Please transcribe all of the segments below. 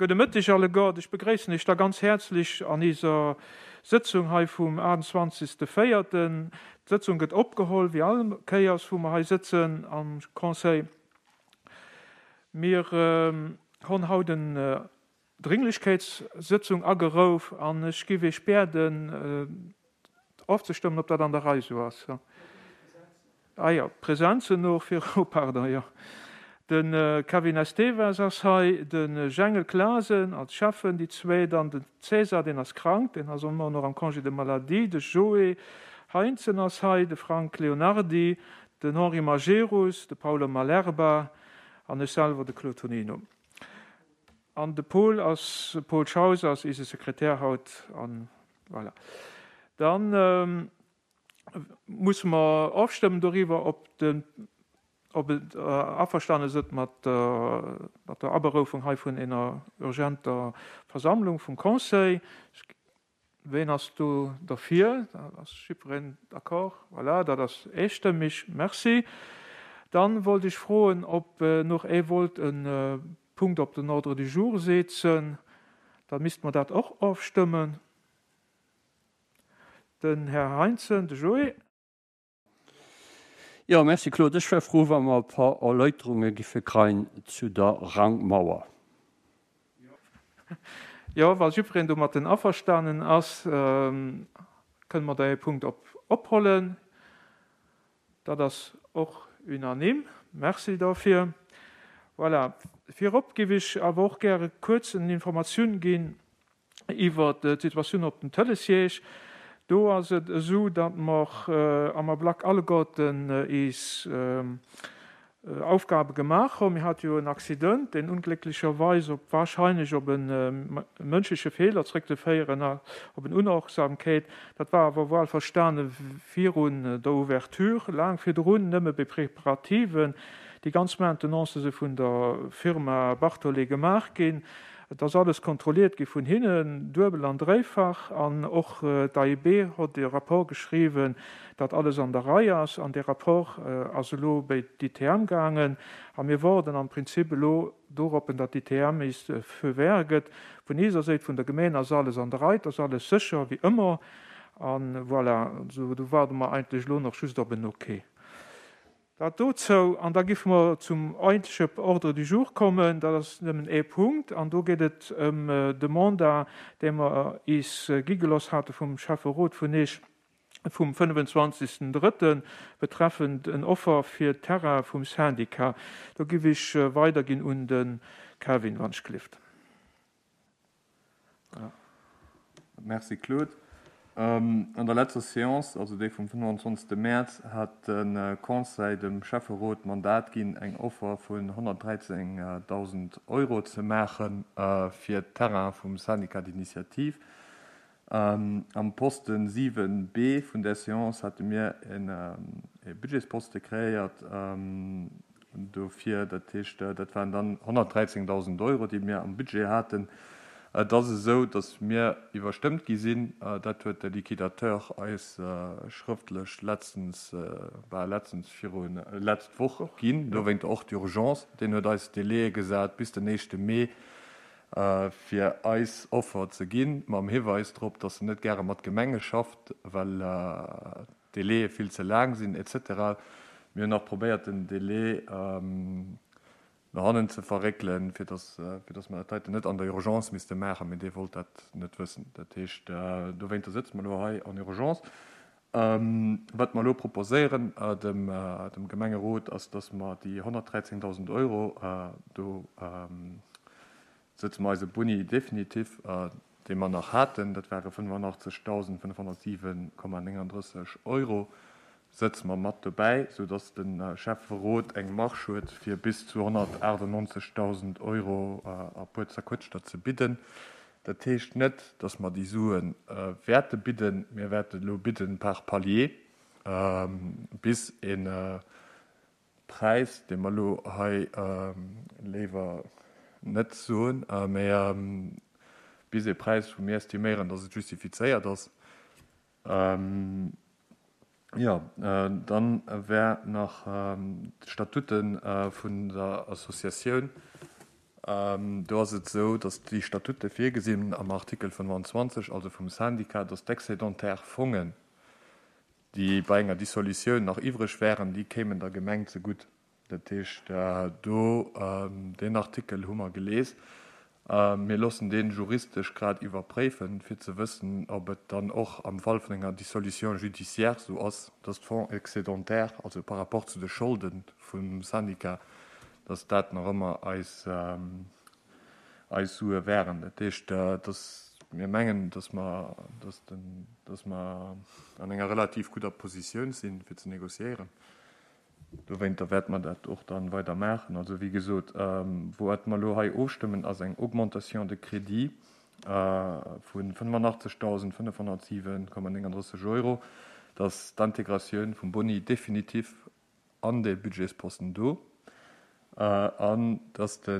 Gudde Mëtteg alleguert. Ech begréissen Iech da ganz häerzlech an iser Sëtzung hei vum 28. Véierten. D'Sëtzung gëtt opgeholl, wéi all Kéiers wou mer hei sëtzen am Conseil. Mir honn haut en Dringlichkeitssëtzung agerouf an ech giff Iech biäden ofzestëmmen, ob dat an der Rei esou ass. Ah jo, d'Presenzen noch viru, pardon, jo. De Kevin Esteves ass hei, de Jengel Clasen als Schäffen, déi zwee, dann den César, deen ass krank, deen ass ëmmer nach am Congé de maladie, de Joé Heintzen ass hei, de Frank Leonardy, den Henri Majerus, de Paulo Malerba an ech selwer, de Claude Tonino. An de Paul ass, Paul Schaus ass eise Sekretär haut an voilà. Dann musse mer ofstëmmen doriwwer, ob den, ob et averstane sëtt mat der, mat der Aberoufung hei vun ener urgenter Versammlung vum Conseil. Ween ass do derfir? Da ass jiddwereen d'accord. Voilà, dat ass eestëmmig. Merci. Dann wollt ech froen, ob noch ee wollt e Punkt op den Ordre du jour setzen. Da misste mer dat och ofstëmmen. Den Här Heintzen, de Joé. Jo, merci Claude. Ech wär frou, wa mer e par Erläuterunge giffe kreien zu der Rangmauer. Jo, wa jiddwereen domatten averstanen ass, kënne mer däi Punkt op ophollen. Dat ass och unanime. Merci dofir. Voilà. Virop giff ech awer och gäre kuerz en Informatioun ginn Iwwer d'Situatioun op den Tëlessiège, do ass et esou, datt mer am Ablack alleguerten eis Aufgabe gemaach hunn. Mir hate jo en Accident, deen unglécklecherweis op wahrscheinlech op e mënschleche Feeler zréckzeféieren ass, op en Unachtsamkeet. Dat war awer wuel verstane virun der Ouverture, laang virdrun, nëmme bei Preparativen. Déi ganz Maintenancë si vun der Firma Bartholet gemaach ginn. Et ass alles kontrolliert gi vun hinnen, duebel an dréifach, an och d'AIB hott e Rapport geschriwwen, datt alles an der Rei ass. An dee Rapport ass elo béi d'ITM gaangen a mir woarden am Prinzip elo doroppen, datt d'ITM is de Feu vert gëtt. Vun iser Séit, vun der Gemeen ass alles an der Rei, et ass alles sécher wéi ëmmer a voilà, do waarde mer eigentlech elo nach just op en Ok. Dat dozou. An da giffe mer zum eigentleche Ordre du jour kommen. Dat ass nëmmen ee Punkt, an do geet et ëm de Mandat, dee mer is gi geloss hate vum Schäfferot vun Eech vum 25. Drëtten, betreffend en Offer fir d'Terraine vum Syndicat. Do giff ech weiderginn un de Kevin, wann ech gelift. Merci Claude. An der letzter Séance, also déi vum 25. Mäerz, hat de Conseil dem Schäfferot d'Mandat ginn, eng Offer vun 113.000 Euro ze maache fir d'Terraine vum Syndicat d'initiative. Am Posten 7 B vun där Séance hate mir e Budgetsposte kreéiert dofir. Dat heescht, dat waren dann 113.000 Euro, déi mir am Budget haten. Et ass esou, datt mir iwwerstëmmt gi sinn. Dat huet de Liquidateur eis schrëftlech letztens, bah letztens, viru letzt Woch ginn. Dowéinter och d'Urgence. Deen huet eis Délaië gesat bis den éischte Mee, fir eis Offer ze ginn, mam Hiweis drop, dass en net gäre mat Gemenge schafft, well d'Délaië vill ze laang sinn, et cetera. Mir hunn nach probéiert, den Délai no hannen ze verréckelen, fir dass, fir dass mer dat heiten net an der Urgence misste maachen, mee dee wollt dat net wëssen. Dat heescht, dowéinter sëtze mer elo hei en urgence. Wat mer elo proposéieren dem Gemengerot, ass, dass mer déi 113.000 Euro, do sëtze mer eise Boni definitif, dee mer nach haten, dat ware 85.507,39 Euro, sëtze mer mat dobäi, soudass de Schäfferot eng Marge huet, fir bis zu 198.000 Euro a puer Zerquëtschter ze bidden. Dat heescht net, dass mer déi Sue wäerte bidden. Mir wäerten elo bidden par palier, bis e Präis, dee mer elo hei léiwer net soen, mä bis e Präis, wou mir estiméieren, dass et justifizéiert ass. Jo, dann wär nach d'Statute vun der Associatioun. Do ass et esou, dass déi Statute virgesinn am Artikel 25, also vum Syndicat, dass d'excédentaires Fongen, déi bei enger Dissolutioun nach iwwreg wären, déi kéimen der Gemeng zegutt. Dat heescht, do, deen Artikel hu mer gelies. Mir loossen dee juristesch grad iwwerpréifen, fir ze wëssen, ob et dann och am Fall vun enger Dissolution judiciaire esou ass, dass d'Fonds excédentaires, also par rapport zu de Scholde vum Syndicat, dass dat nach ëmmer eis, eis Sue wären. Dat heescht, dass mir mengen, dass mer, dass den, dass mer an enger relativ gudder Positioun sinn, fir ze négociéieren. Dowéinter wäerte mer dat och dann weider maachen. Also, wéi gesot, wouat mer elo hei ofstëmmen, ass eng Augmentation de crédit vu 85.507,39 Euro, dass d'Integratioun vum Boni definitiv an dee Budgetsposten do an dass de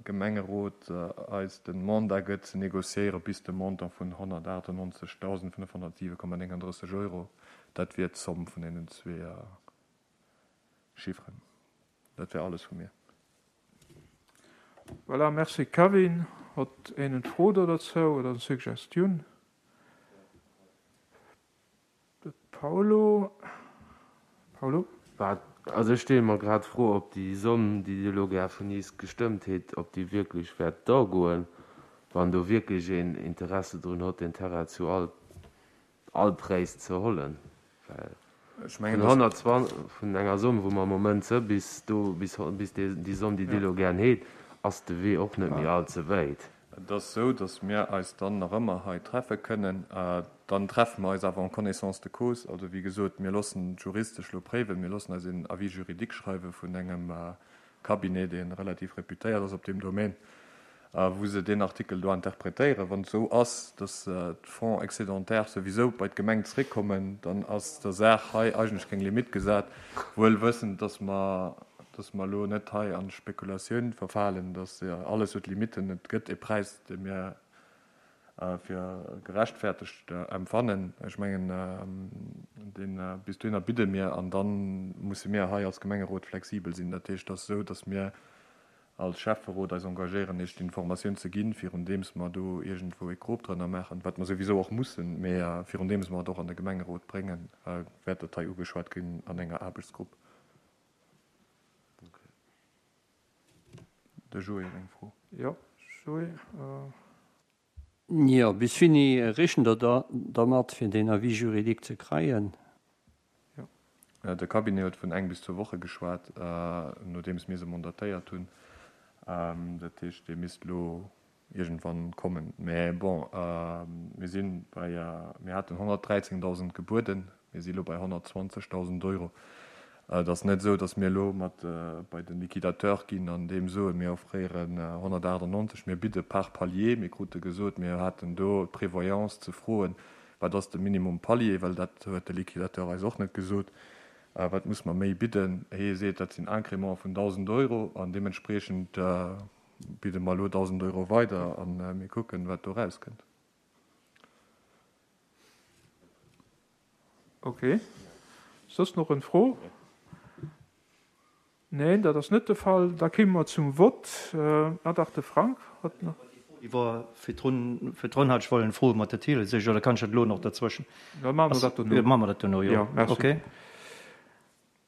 Gemengerot eis de Mandat gëtt ze négociéiere bis de Montant vun 198.507,39 Euro. Dat wier d'Zomm vun deenen zwee Chifferen. Dat wär alles vu mir. Voilà, merci Kevin. Hott een en Fro do derzou oder en Suggestioun? De Paulo. Paulo? Wat, also ech stelle mer grad d'Fro, ob déi Somm, déi Dir elo gär vun iis gestëmmt hitt, ob déi wierklech wäert dagoen, wann do wierklech een Interesse drun hott, deen Terrain zu all all Präis ze hollen, well vun 120, vun enger Somm, wou mer am Moment se bis do, bis bis déi Somm, déi Dir elo gären heet, ass de Wee och net méi all ze wäit. Et ass esou, datt mir eis dann nach ëmmer hei treffe kënnen. Dann treffe mer eis awer en connaissance de cause. Also, wéi gesot, mir loossen d'juristesch elo préiwen, mir loossen eis een Avis juridique schreiwe vun engem Cabinet, dee relativ reputéiert ass op deem Domaine, wou se deen Artikel do interpretéieren. Wann et esou ass, datt d'Fonds excédentaires souwisou bei d'Gemeng zréckkommen, dann ass der Saach hei eigentlech keng Limitt gesat, wuel wëssend, datt mer, datt mer elo net hei an Spekulatioun verfalen, datt alles huet Limitten. Et gëtt e Präis, dee mir fir gerechtfertegt empfannen. Ech mengen, deen, bis dohinner bidde mir an da musse mir hei als Gemengerot flexibel sinn. Dat heescht, et ass esou, datt mir als Schäfferot eis engagéieren, Iech d'Informatioun ze ginn, virundeems mer do iergendwou e Krop drënner maachen, wat mer souwisou och mussen, mä virundeems mer et och an de Gemengerot bréngen, wäert dat hei ugeschwat ginn an enger Aarbechtsgrupp. De Joé huet eng Fro. Jo, Joé. Jo, bis wéini rechent Der da dermat, fir deen Avis juridique ze kreien? Jo. De Cabinet huet vun eng bis zwou Woche geschwat, nodeems mir se mandatéiert hunn. Dat heescht, dee misst elo iergendwann kommen. Mä bon, mir si bei, mir haten 113.000 gebueden, mir si elo bei 120.000 Euro. Et ass net esou, datt mir elo mat bei de Liquidateur ginn an deem soen, mir offréieren 198, mir bidde par palier. Mir krute gesot, mir haten do d'Prévoyance ze froen, wat ass de Minimum Palier, well dat huet de Liquidateur eis och net gesot, wat muss mer méi bidden. Hie seet, dat sinn Incrémenten vun 1.000 Euro an deementspreechend bidde mer elo 1.000 Euro weider a mir kucken, wat do erauskënnt. Ok. Soss nach en Fro? Neen, dat ass net de Fall. Da kéime mer zum Vott. Ah dach, de Frank hat nach. Déi war virdrun, virdrun hat ech wollen froen mat der Thielesich, oder kann ech dat elo nach derzwëschen? Da maache mer dat dono. Maache mer dat dono, jo. Jo, merci. Ok.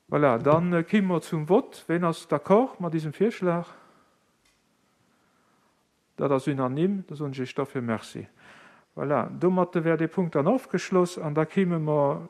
Voilà, da kéime mer zum Vott. Ween ass d'accord mat diesem Virschlag? Dat ass unanime. Da soen ech Iech dofir Merci. Voilà, domatte wär dee Punkt dann ofgeschloss an da kéime mer.